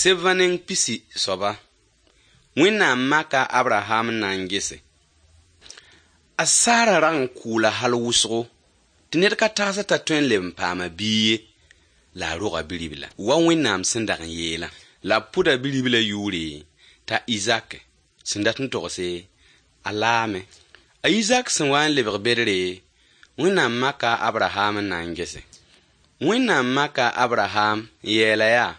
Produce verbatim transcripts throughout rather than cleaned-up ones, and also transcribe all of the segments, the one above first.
Sebã neng pisi soaba. Wẽnnaam maka a Abraham n na n gese. A Sara rag n kʋʋla hal wʋsgo tɩ ned ka tagsd t'a tõe n leb n paama biig ye, la a roga bi-ribla, wa Wẽnnaam sẽn dag n yeelã. La b pʋda bi-riblã yʋʋre t'a Izak, sẽn dat n togse a laame. A Izak sẽn wa n lebg bedre, Wẽnnaam maka a Abraham n na n gese. Wẽnnaam maka a Abraham n yeela yaa: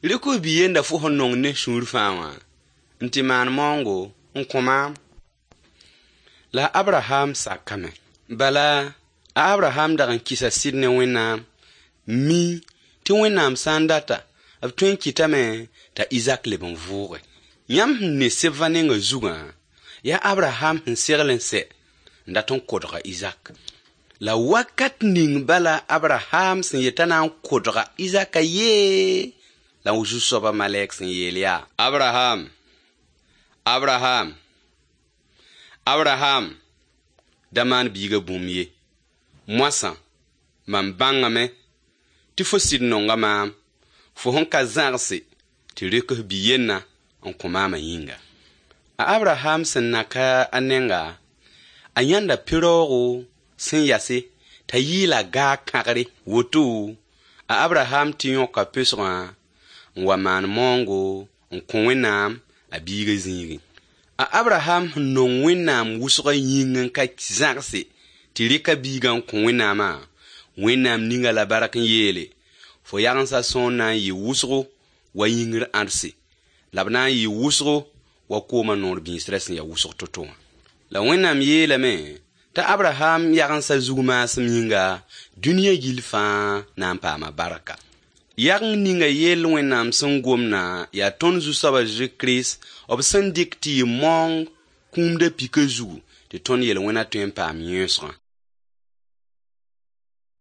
Rɩk f bi-yenda fo sẽn nong ne sũur fãa wã n tɩ maan maoongo n kõ maam. La a Abraham sakame. Bala, a Abraham dag n kɩsa sɩd ne Wẽnnaam, mi tɩ Wẽnnaam sã n data, b tõe n kɩtame t'a Izak leb n vʋʋge. Yãmb sẽn ne sebã nengã zugã, yaa Abraham sẽn segl n sɛ n dat n kodg a Izak. La wakat ning bala Abraham sẽn yet t'a na n kodga Izaka yee, la Zu-soabã malɛk sẽn yeel yaa: Abraham, Abraham, Abraham, da maan biigã bũmb ye. Moasã, mam bãngame tɩ fo sɩd nonga maam, fo sẽn ka zãgse tɩ rɩk f bi-yennã n kõ maamã yĩnga. A Abraham sẽn na ka a nenga, a yãnda pɩraoogo sẽn yase t'a yɩɩla gaag kãgre. Woto, a Abraham tɩ yõka pesgã n wa maan maoongo n kõ Wẽnnaam a biigã zĩigẽ. A Abraham sẽn nong Wẽnnaam wʋsgã yĩng n ka zãgse tɩ rɩk a biigã n kõ Wẽnnaamã, Wẽnnaam ninga la bark n yeele: fo yagensã sõor na n yɩ wʋsgo wa yĩngr ãdse, la b na n yɩ wʋsgo wa koomã noor bĩisrã sẽn ya wʋsg to-to wã. La Wẽnnaam yeelame t'a Abraham yagensã zug maasem yĩnga, dũniyã gill fãa na n paama barka. Yageng ninga yell Wẽnnaam sẽn gomdã yaa tõnd Zu-soab a Zezi Kirist b sẽn dɩk tɩ yɩ maoong kũumda pika zugu tɩ tõnd yel-wẽna tõe n paam yẽesgã.